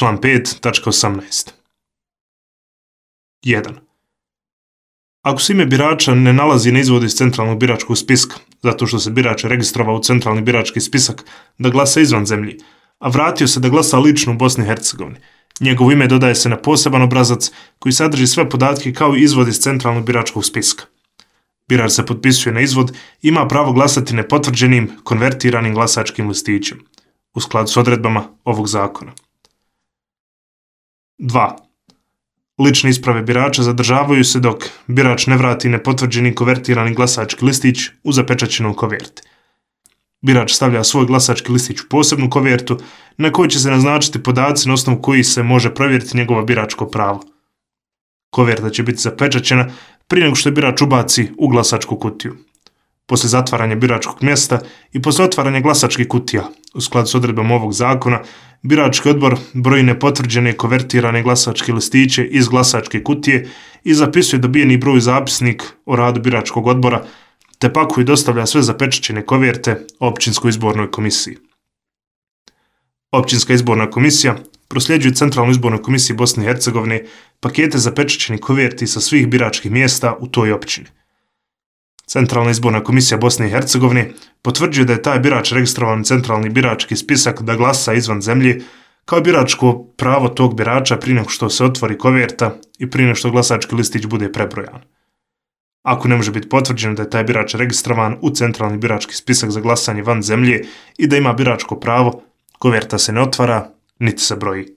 Član 5.18. 1. Ako se ime birača ne nalazi na izvodu iz centralnog biračkog spiska, zato što se birač registrovao u centralni birački spisak da glasa izvan zemlji, a vratio se da glasa lično u Bosni i Hercegovini, njegovo ime dodaje se na poseban obrazac koji sadrži sve podatke kao i izvod iz centralnog biračkog spiska. Birač se potpisuje na izvod i ima pravo glasati nepotvrđenim, konvertiranim glasačkim listićem, u skladu s odredbama ovog zakona. 2. Lične isprave birača zadržavaju se dok birač ne vrati nepotvrđeni konvertirani glasački listić u zapečaćenom koverti. Birač stavlja svoj glasački listić u posebnu kovertu na kojoj će se naznačiti podaci na osnovu kojih se može provjeriti njegovo biračko pravo. Koverta će biti zapečaćena prije nego što je birač ubaci u glasačku kutiju. Poslije zatvaranja biračkog mjesta i poslije otvaranja glasačkih kutija, u skladu s odredbama ovog zakona, birački odbor broji nepotvrđene konvertirane glasačke listiće iz glasačke kutije i zapisuje dobijeni broj u zapisnik o radu biračkog odbora, te pakuje i dostavlja sve zapečaćene koverte Općinskoj izbornoj komisiji. Općinska izborna komisija prosljeđuje Centralnoj izbornoj komisiji Bosne i Hercegovine pakete zapečaćenih koverti sa svih biračkih mjesta u toj općini. Centralna izborna komisija Bosne i Hercegovine potvrđuje da je taj birač registrovan u centralni birački spisak da glasa izvan zemlje kao biračko pravo tog birača prije nego što se otvori koverta i prije nego što glasački listić bude prebrojan. Ako ne može biti potvrđeno da je taj birač registrovan u centralni birački spisak za glasanje van zemlje i da ima biračko pravo, koverta se ne otvara niti se broji.